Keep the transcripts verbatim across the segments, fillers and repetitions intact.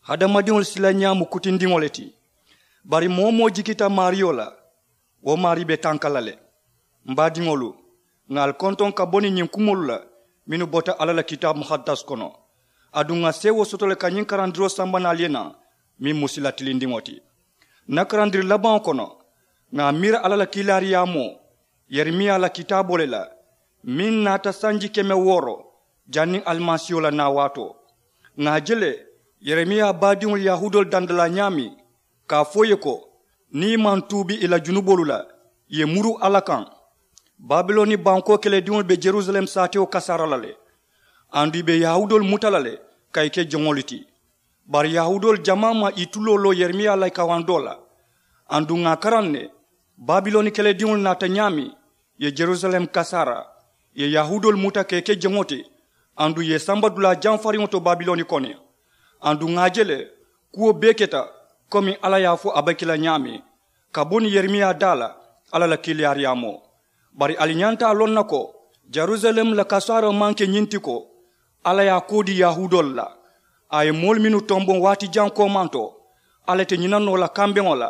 Hadamadiŋolu si la ñaa mu kutindiŋo le ti. Bari moo-wo-moo jikita maariyo la, wo maarii be tanka la le. M baadiŋolu, ŋà ali kontoŋ ka bo niŋ ñiŋ kumoolu la mennu bota alla la kitaabu muhaddas kono. Aduŋ ŋà seewoo soto le ka ñiŋ karandiroo samba naŋ ali ye naŋ, meŋ mu sila tilindiŋo ti. N na karandiri labaŋo kono, ŋà a miira alla la kiilaariyaamoo yeremiya la kitaaboo le la, meŋ naata sanji keme wooro janniŋ alimasiiho la naa waatoo. Ŋà a je le, yeremiya baadiŋolu ye yahuudoolu dandalaa ñaameŋ, ka a fo ì ye ko, niŋ ì maŋ tuubi ì la junuboolu la, ì ye muru alla kaŋ. Babiloni bankoo kelediŋolu be jerusalem saatewo kasaara la le. Aduŋ ì be yahuudoolu muta la le ka ì ke joŋolu ti. Bari yahuudoolu jamaa maŋ ì tuloo loo yeremiya la kawandoo la. Aduŋ ŋà a karaŋ ne, babiloni kelediŋolu naata ñaameŋ, ì ye jerusalem kasaara, ì ye yahuudoolu muta ka ì ke joŋo ti. Aduŋ ì ye samba dulaa jamfariŋo to babiloni kono. Aduŋ ŋà a je le, kuwo bee keta komi alla ye a fo a be ke la ñaameŋ, ka bo niŋ yeremiya daa la alla la kiilaariyaamoo. Bari ali ñanta a loŋ na ko, jerusalem la kasaaroo maŋ ke ñiŋ ti ko, alla ye a koo dii yahuudoolu la. A ye moolu mennu tomboŋ waati jaŋ koomaŋ to, alla te ñina noo la kambeŋo la,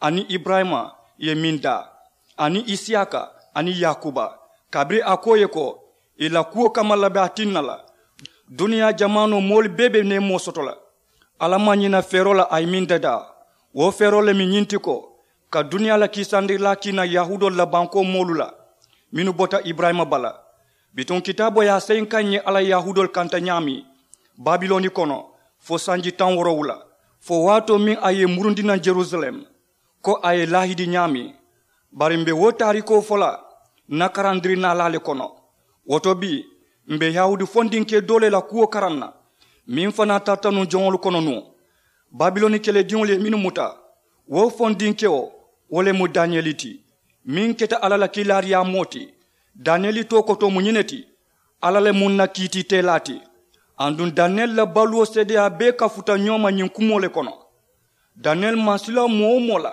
aniŋ iburayima ye meŋ daa, aniŋ isiyaaka, aniŋ yaakuba, kabiriŋ a ko ì ye ko, ì la kuwo kamma le be a tinna la. Duniyaa jamaanoo moolu bee be neemoo soto la. Alla maŋ ñina feeroo la a ye meŋ dadaa, wo feeroo le mu ñiŋ ti ko, ka duniyaa la kiisandirilaa kiina yahuudoolu la bankoo moolu la, mennu bota iburayima bala. Bituŋ kitaaboo ye a seyi n kaŋ ñe alla ye yahuudoolu kanta ñaameŋ babiloni kono, fo sanji taŋ woorowula, fo waatoo meŋ a ye ì murundi naŋ jerusalem, ko a ye ì laahidi ñaameŋ. Bari m be wo taarikoo fo la n na karandiri naalaa le kono. Wo to bii, m be yahuudi fondinkee doo le la kuwo karaŋ na, meŋ fanaa tarata nuŋ joŋolu kono nuŋ. Babiloni kelediŋolu ye mennu muta, wo fondinkewo, wo le mu daniyeli ti, meŋ keta alla la kiilaariyaamoo ti. Daniyeli tookoto mu ñiŋ ne ti, alla le mu n na kiitiiteelaa ti. Aduŋ daniyeli la baluwo seedeyaa bee kafuta ñoo ma ñiŋ kumoo le kono. Daniyeli maŋ sila moo-wo-moo la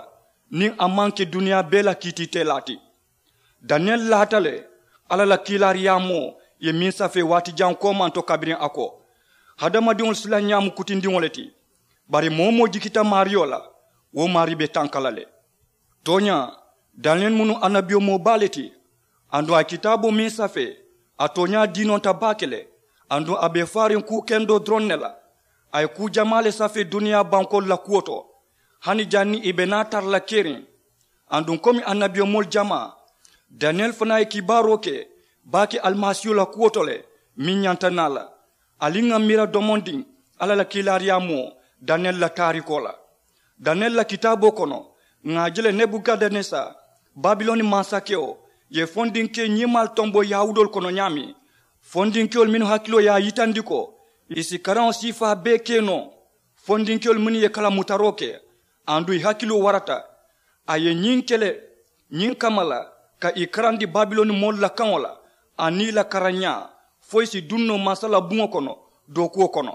niŋ a maŋ ke duniyaa bee la kiitiiteelaa ti. Daniyeli laata le alla la kiilaariyaamoo ye meŋ safee waati jaŋ koomaŋ to kabiriŋ a ko, hadamadiŋolu sila ñaa mu kutindiŋo le ti. Bari moo-wo-moo jikita maariyo la, wo maarii be tanka la le. Tooñaa, daniyeli mu nuŋ annabiyomoo baa le ti. Aduŋ a ye kitaaboo meŋ safee, a tooñaa diinonta baake le. Aduŋ a be faariŋ kuu kendoo doroŋ ne la. A ye kuu jamaa le safee duniyaa bankoolu la kuwo to, hani janniŋ ì be naa tara la keriŋ. Aduŋ komi annabiyomoolu jamaa, daniyeli fanaa ye kibaaroo ke baake alimasiiho la kuwo to le, meŋ ñanta naa la. Ali ŋà miira domondiŋ alla la kiilaariyaamoo daniyeli la taarikoo la. Daniyeli la kitaaboo kono, ŋà a je le nebukadenesa, babiloni mansakewo, ye fondinkee ñiimaalu tomboŋ yahuudoolu kono ñaameŋ. Fondinkewolu mennu hakiloo ye a yitandi ko ì si karaŋo siifaa bee ke noo, fondinkewolu mennu ye kala mutaroo ke, aduŋ ì hakiloo warata. A ye ñiŋ ke le ñiŋ kamma la, ka ì karandi babiloni moolu la kaŋo la aniŋ ì la karaŋ ñaa, fo ì si duŋ noo mansa la buŋo kono dookuwo kono.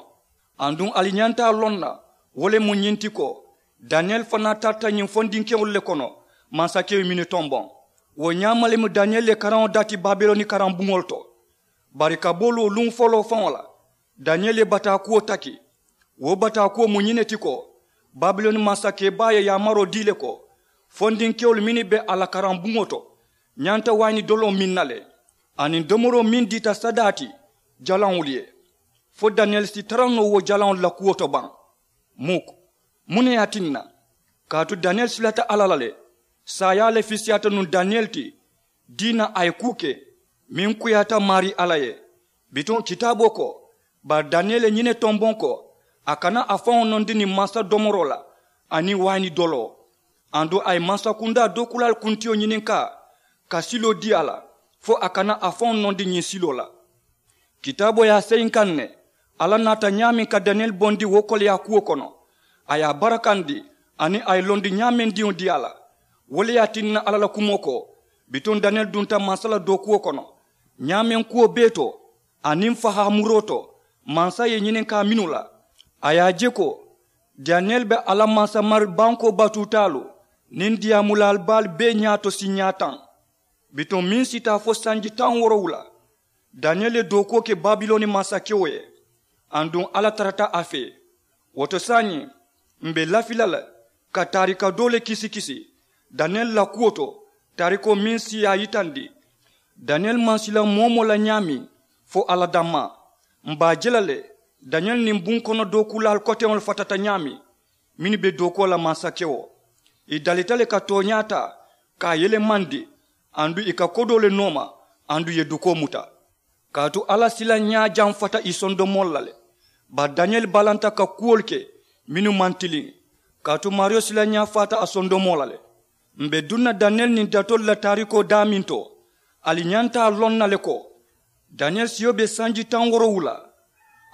Aduŋ ali ñanta a loŋ na, wo le mu ñiŋ ti ko, daniyeli fanaa tarata ñiŋ fondinkewolu le kono, mansakewo mennu tomboŋ. Wo ñaama le mu daniyeli ye karaŋo dati babiloni karaŋ buŋolu to. Bari ka bo luŋ luŋ foloo faŋo la, daniyeli ye bataakuwo taki. Wo bataakuwo mu ñiŋ ne ti ko, babiloni mansakee baa ye yaamaroo dii le ko, fondinkewolu mennu be a la karaŋ buŋo to ñanta wayini doloo meŋ na le, aniŋ domoroo meŋ diita sadaa ti jalaŋolu ye, fo daniyeli si tara noo wo jalaŋolu la kuwo to baŋ? Muk. Muŋ ne ye a tinna? Kaatu daniyeli silata alla la le. Saayaa le fisiyaata nuŋ daniyeli ti, diina a ye kuu ke meŋ kuyaata maarii alla ye. Bituŋ kitaaboo ko, bari daniyeli ye ñiŋ ne tomboŋ ko, a kana a faŋo nondi niŋ mansa domoroo la aniŋ wayini doloo. Aduŋ a ye mansakundaa dookulaalu kuntiyo ñininkaa ka siloo dii a la, fo a kana a faŋo nondi ñiŋ siloo la. Kitaaboo ye a seyi n kaŋ ne, alla naata ñaameŋ ka daniyeli bondi wo koleyaa kuwo kono, a ye a barakandi, aniŋ a ye londi ñaamendiŋo dii a la. Wo le ye a tinna alla la kumoo ko, bituŋ daniyeli dunta mansa la dookuwo kono. Ñaameŋ kuwo bee to, aniŋ fahaamuroo to, mansa ye ñininkaa mennu la, a ye a je ko, daniyeli be a la mansamari bankoo batuutaalu niŋ diyaamulaalu baalu bee ñaato siiñaa taŋ. Bituŋ meŋ si taa fo sanji taŋ woorowula, daniyeli ye dookuwo ke babiloni mansakewo ye. Aduŋ alla tarata a fee. Wo to saayiŋ, m̀ be lafi la le ka taarika doo le kisikisi daniyeli la kuwo to, taarikoo meŋ si ye a yitandi daniyeli maŋ sila moo-wo-moo la ñaameŋ fo alla dammaa. M̀ be a je la le daniyeli niŋ bunkono dookuulaalu koteŋolu fatata ñaameŋ, mennu be dookuwo la mansakewo. Ì dalita le ka tooñaa taa ka a yelemandi, aduŋ ì ka kodoo le nooma, aduŋ ì ye dukoo muta. Kaatu alla sila ñaa jamfata ì sondomoolu la le. Bari daniyeli balanta ka kuwolu ke mennu maŋ tiliŋ. Kaatu maariyo sila ñaa faata a sondomoo la le. M̀ be duŋ na daniyeli niŋ datoolu la taarikoo daameŋ to, ali ñanta a loŋ na le ko daniyeli siyo be sanji taŋ woorowula.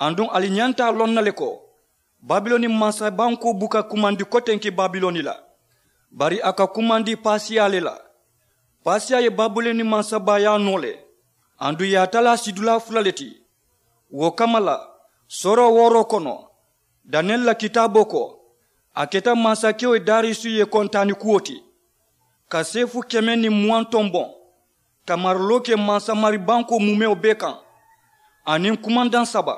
Aduŋ ali ñanta a loŋ na le ko babiloni mansabankoo buka kumandi kotenki babiloni la, bari a ka kumandi pasiya le la. Pasiya ye babiloni mansabaayaa noo le, aduŋ ì ye a talaa sidulaa fula le ti. Wo kamma la, sooroo wooroo kono, daniyeli la kitaaboo ko, a keta mansakewo dariyusi ye kontaani kuwo ti, ka seefu keme niŋ muwaŋ tomboŋ ka mariloo ke mansamari bankoo muumewo bee kaŋ, aniŋ kumandaŋ saba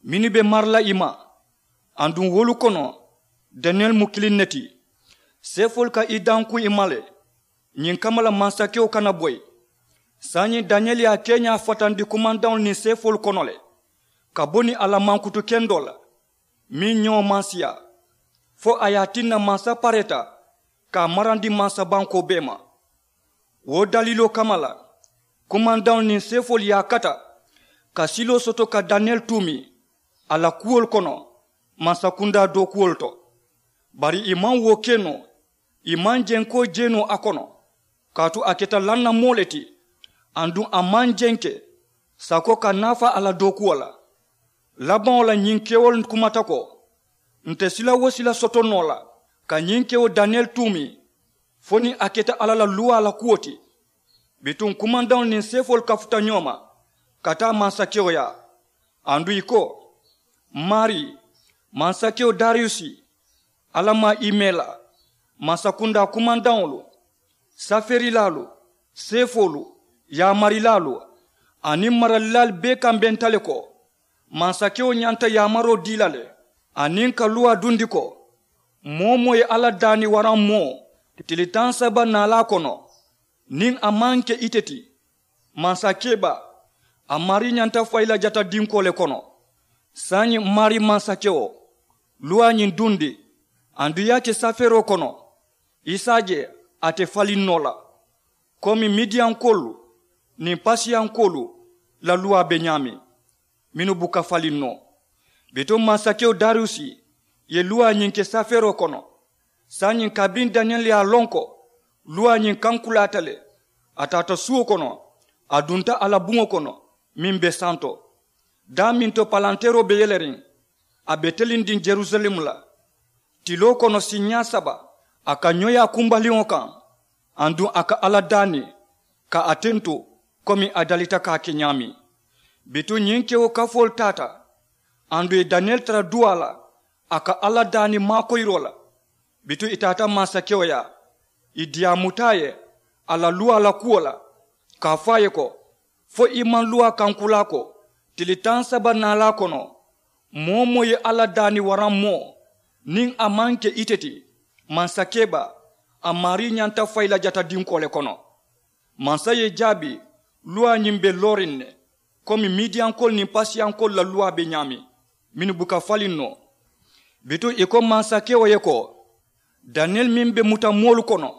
mennu be mari la ì ma. Aduŋ wolu kono, daniyeli mu kiliŋ ne ti. Seefoolu ka ì daŋ kuŋ ì ma le, ñiŋ kamma la mansakewo kana boyi. Saayiŋ daniyeli ye a keeñaa fatandi kumandaŋolu niŋ seefoolu kono le, ka bo niŋ a la mankutu kendoo la meŋ ñewo maŋ siyaa, fo a ye a tinna mansa pareeta ka a marandi mansabankoo bee ma. Wo daliiloo kamma la, kumandaŋolu niŋ seefoolu ye a kata ka siloo soto ka daniyeli tuumi a la kuwolu kono, mansakundaa dookuwolu to. Bari ì maŋ wo ke noo, ì maŋ jenkoo je noo a kono, kaatu a keta lanna moo le ti, aduŋ a maŋ jenke sako ka naafa a la dookuwo la. Labaŋo la ñiŋ kewolu kumata ko, nte sila wo sila soto noo la ka ñiŋ kewo daniyeli tuumi, fo niŋ a keta alla la luwaa la kuwo ti. Bituŋ kumandaŋolu niŋ seefoolu kafuta ñoo ma ka taa mansakewo yaa, aduŋ ì ko, maarii, mansakewo dariyusi, alla maa i mee la, mansakundaa kumandaŋolu, safeerilaalu, seefoolu, yaamarilaalu, aniŋ maralilaalu bee kambenta le ko, mansakewo ñanta yaamaroo dii la le, aniŋ ka luwaa dundi ko, moo-wo-moo ye alla daani waraŋ moo tili taŋ saba naalaa kono, niŋ a maŋ ke ite ti, mansakebaa, a maarii ñanta fayi la jatadinkoo le kono. Saayiŋ maarii mansakewo, luwaa ñiŋ dundi, aduŋ ì ye a ke safeeroo kono, i si a je a te faliŋ noo la, komi midiyankoolu niŋ pasiyankoolu la luwaa be ñaameŋ, mennu buka faliŋ noo. Bituŋ mansakewo dariyusi ye luwaa ñiŋ ke safeeroo kono. Saayiŋ kabiriŋ daniyeli ye a loŋ ko luwaa ñiŋ kankulaata le, a taata suwo kono, a dunta a la buŋo kono meŋ be santo, daameŋ to palanteeroo be yeleriŋ, a be telindiŋ yerusalemu la. Tiloo kono siiñaa saba a ka ñoyaa kumbaliŋo kaŋ, aduŋ a ka alla daani ka a tentu, komi a dalita ka a ke ñaameŋ. Bituŋ ñiŋ kewo kafoolu taata, aduŋ ì ye daniyeli tara duwaa la, a ka alla daani maakoyiroo la. Bituŋ ì taata mansakewo yaa, ì diyaamuta a ye a la luwaa la kuwo la, ka a fo a ye ko, fo i maŋ luwaa kankulaa ko, tili taŋ saba naalaa kono, moo-wo-moo ye alla daani waraŋ moo, niŋ a maŋ ke ite ti, mansakebaa, a maarii ñanta fayi la jatadinkoo le kono. Mansa ye ì jaabi, luwaa ñiŋ be looriŋ ne, komi midiyankoolu niŋ pasiyankoolu la luwaa be ñaameŋ, mennu buka faliŋ noo. Bituŋ ì ko mansakewo ye ko, daniyeli meŋ be muta moolu kono,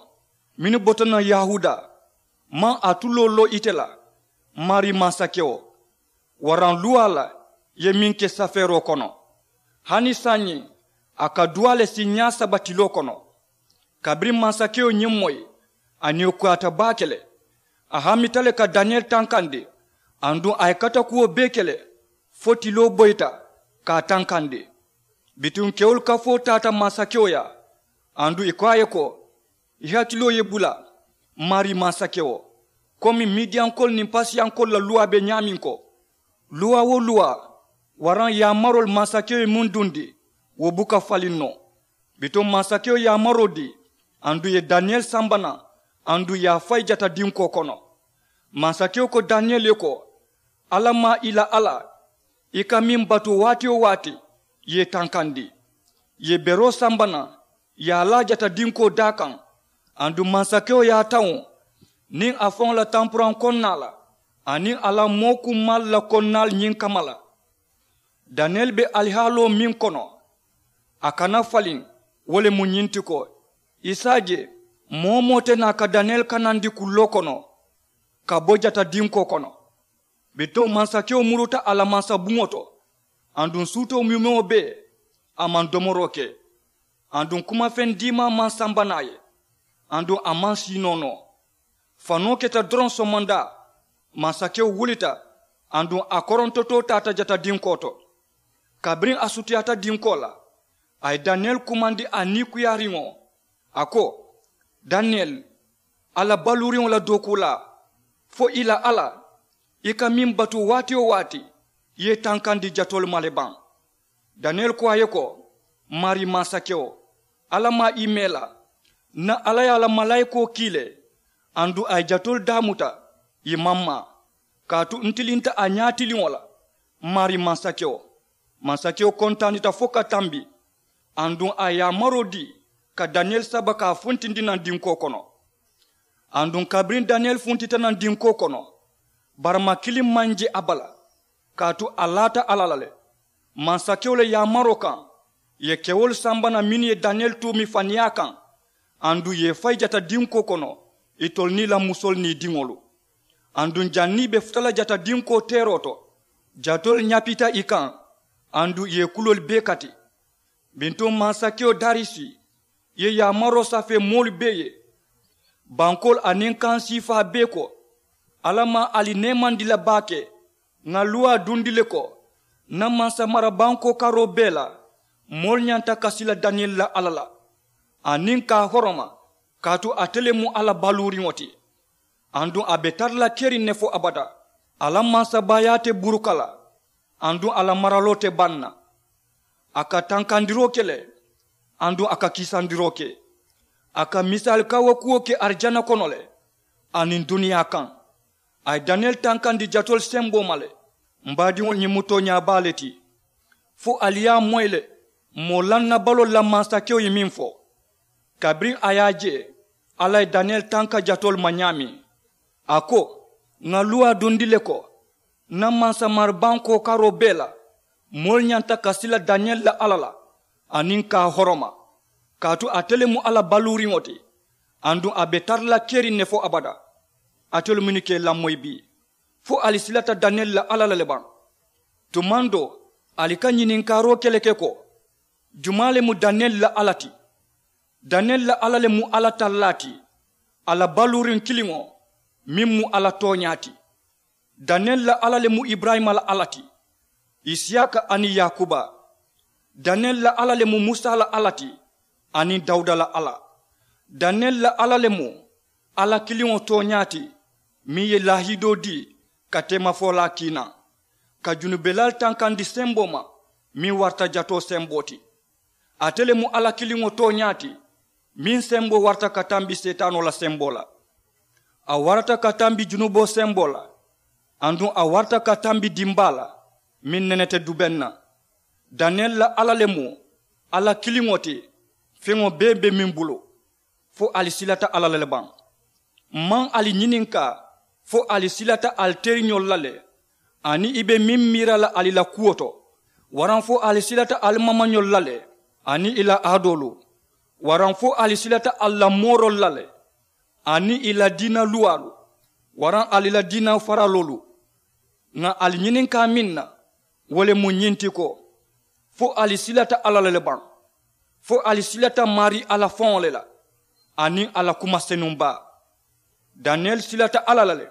mennu bota naŋ yahuuda, maŋ a tuloo loo ite la, maarii mansakewo, waraŋ luwaa la ye meŋ ke safeeroo kono, hani saayiŋ a ka duwaa le siiñaa saba tiloo kono. Kabiriŋ mansakewo ñiŋ moyi, a niyo kuyaata baake le. A hamita le ka daniyeli tankandi, aduŋ a ye katakuwo bee ke le fo tiloo boyita ka a tankandi. Bituŋ kewolu kafoo taata mansakewo yaa, aduŋ ì ko a ye ko, i hakiloo ye bula, maarii mansakewo, komi midiyankoolu niŋ pasiyankoolu la luwaa be ñaameŋ ko, luwaa-wo-luwaa waraŋ yaamaroolu mansakewo ye meŋ dundi, wo buka faliŋ noo. Bituŋ mansakewo ye yaamaroo dii, aduŋ ì ye daniyeli samba naŋ, aduŋ ì ye a fayi jatadinkoo kono. Mansakewo ko daniyeli ye ko, alla maa i la alla, i ka meŋ batu waati-wo-waati, i ye i tankandi. Ì ye beroo samba naŋ, ì ye a laa jatadinkoo daa kaŋ. Aduŋ mansakewo ye a tawuŋ niŋ a faŋo la tampuraŋ konnaa la, aniŋ a la moo kummaalu la konnaalu ñiŋ kamma la. Daniyeli be alihaaloo meŋ kono, a kana faliŋ. Wo le mu ñiŋ ti ko, i si a je moo-wo-moo te naa ka daniyeli kanandi kulloo kono ka bo jatadinkoo kono. Bituŋ mansakewo muruta a la mansabuŋo to, aduŋ suutoo mumewo bee a maŋ domoroo ke. Aduŋ kumafeŋ diimaa maŋ samba naŋ a ye, aduŋ a maŋ siinoo noo. Fanoo keta doroŋ somondaa, mansakewo wulita, aduŋ a korontotoo taata jatadinkoo to. Kabiriŋ a sutiyaata dinkoo la, a ye daniyeli kumandi a niikuyaariŋo, a ko, daniyeli, a la baluuriŋo la dookuulaa, fo i la alla, i ka meŋ batu waati-wo-waati, i ye i tankandi jatoolu ma le baŋ? Daniyeli ko a ye ko, maarii mansakewo, alla maŋ i mee la. Ǹ na alla ye a la malaayikoo kii le, aduŋ a ye jatoolu daamuta, ì maŋ maa, kaatu n tilinta a ñaatiliŋo la. Maarii mansakewo, mansakewo kontaanita fo ka tambi, aduŋ a ye yaamaroo dii ka daniyeli saba ka a funtindi naŋ dinkoo kono. Aduŋ kabiriŋ daniyeli funtita naŋ dinkoo kono, barama kiliŋ maŋ je a bala, kaatu a laata alla la le. Mansakewo le yaamaroo kaŋ, ì ye kewolu samba naŋ mennu ye daniyeli tuumi faniyaa kaŋ, aduŋ ì ye i fayi jatadinkoo kono, itolu niŋ i la musoolu niŋ i diŋolu. Aduŋ janniŋ i be futa la jatadinkoo teeroo to, jatoolu ñapita i kaŋ, aduŋ ì ye i kuloolu bee kati. Bituŋ mansakewo darisi ye yaamaroo safee moolu bee ye, bankoolu aniŋ kaŋ siifaa bee ko, alla maŋ ali neemandi la baake. Ŋà luwaa dundi le ko, ǹ na mansamarabankoo karoo bee la, moolu ñanta kasi la daniyeli la alla la, aniŋ ka a horoma, kaatu ate le mu a la baluuriŋo ti. Aduŋ a be tara la keriŋ ne fo abadaa. A la mansabaayaa te buruka la, aduŋ a la maraloo te baŋ na. A ka tankandiroo ke le, aduŋ a ka kiisandiroo ke. A ka misaali kawoo kuwo ke arijana kono le, aniŋ duniyaa kaŋ. A ye daniyeli tankandi jatoolu semboo ma le. M baadiŋolu, ñiŋ mu tooñaa baa le ti. Fo ali ye a moyi le, moo lannabaloolu la mansakewo ye meŋ fo, kabiriŋ a ye a je alla ye daniyeli tanka jatoolu ma ñaameŋ, a ko, ŋà luwaa dundi le ko, ǹ na mansamarabankoo karoo bee la, moolu ñanta kasi la daniyeli la alla la, aniŋ ka a horoma, kaatu ate le mu a la baluuriŋo ti, aduŋ a be tara la keriŋ ne fo abadaa. Alitolu mennu ka i lamoyi bii, fo ali silata daniyeli la alla la le baŋ? Tumaŋ doo, ali ka ñininkaaroo ke le ke ko, jumaa le mu daniyeli la alla ti? Daniyeli la alla le mu alla tallaa ti, a la baluuriŋ kiliŋo, meŋ mu alla tooñaa ti. Daniyeli la alla le mu iburayima la alla ti, isiyaaka aniŋ yaakuba. Daniyeli la alla le mu musa la alla ti, aniŋ dawuda la alla. Daniyeli la alla le mu alla kiliŋo tooñaa ti, meŋ ye laahidoo dii ka teemafolaa kiinaŋ, ka junubelaalu tankandi semboo ma, meŋ warata jatoo semboo ti. Ate le mu alla kiliŋo tooñaa ti, meŋ semboo warata ka tambi seetaanoo la semboo la. A warata ka tambi junuboo semboo la, aduŋ a warata ka tambi dimbaa la, meŋ nene te dubeŋ na. Daniyeli la alla le mu alla kiliŋo ti, feŋo bee be meŋ bulu. Fo ali silata alla la le baŋ? M maŋ ali ñininkaa fo ali silata ali teriñolu la le, aniŋ i be meŋ miira la ali la kuwo to? Waraŋ fo ali silata ali mamañolu la le, aniŋ i la aadoolu? Waraŋ fo ali silata ali la moorolu la le, aniŋ i la diina luwaalu, waraŋ ali la diina faraloolu? Ŋà ali ñininkaa meŋ na, wo le mu ñiŋ ti ko, fo ali silata alla la le baŋ? Fo ali silata maarii alla faŋo le la, aniŋ a la kuma senuŋ baa? Daniyeli silata alla la le,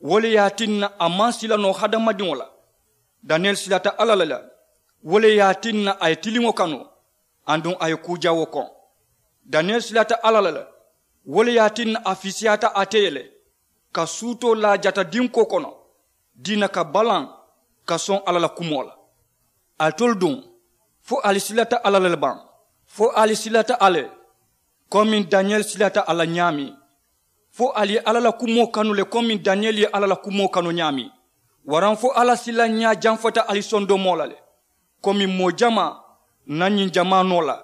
wo le ye a tinna a maŋ sila noo hadamadiŋo la. Daniyeli silata alla la le, wo le ye a tinna a ye tiliŋo kanu, aduŋ a ye kuu jawoo koŋ. Daniyeli silata alla la le, wo le ye a tinna a fisiyaata ate ye le, ka suutoo laa jatadinkoo kono, diina ka balaŋ ka soŋ alla la kumoo la. Alitolu duŋ, fo ali silata alla la le baŋ? Fo ali silata a le komiŋ daniyeli silata a la ñaameŋ? Fo ali ye alla la kumoo kanu le komiŋ daniyeli ye alla la kumoo kanu ñaameŋ? Waraŋ fo alla silaŋ ñaa jamfata ali sondomoo la le, komiŋ moo jamaa N na ñiŋ jamaa noo la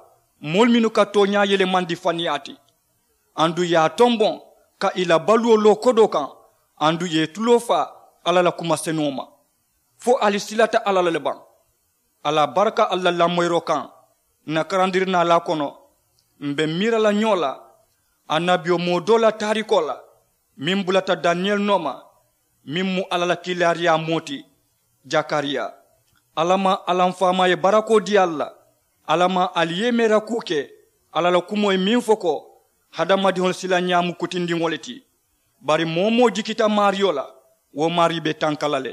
moolu mennu ka tooñaa yelemandi faniyaa ti, aduŋ ì ye a tomboŋ ka ì la baluwo loo kodoo kaŋ, aduŋ ì ye ì tuloo faa alla la kuma senuŋo ma. Fo ali silata alla la le baŋ? A la baraka alla la lamoyiroo kaŋ, n na karandiri naalaa kono, m̀ be miira la ñoo la annabiyomoo doo la taarikoo la, meŋ bulata daniyeli nooma, meŋ mu alla la kiilaariyaa moo ti. Jakariya, alla maŋ alla m faamaa ye barakoo dii ali la. Alla maŋ ali yeemeera kuu ke. Alla la kumoo ye meŋ fo ko, hadamadiŋolu silañaa mu kutindiŋo le ti. Bari moo-wo-moo jikita maariyo la, wo maarii be tanka la le.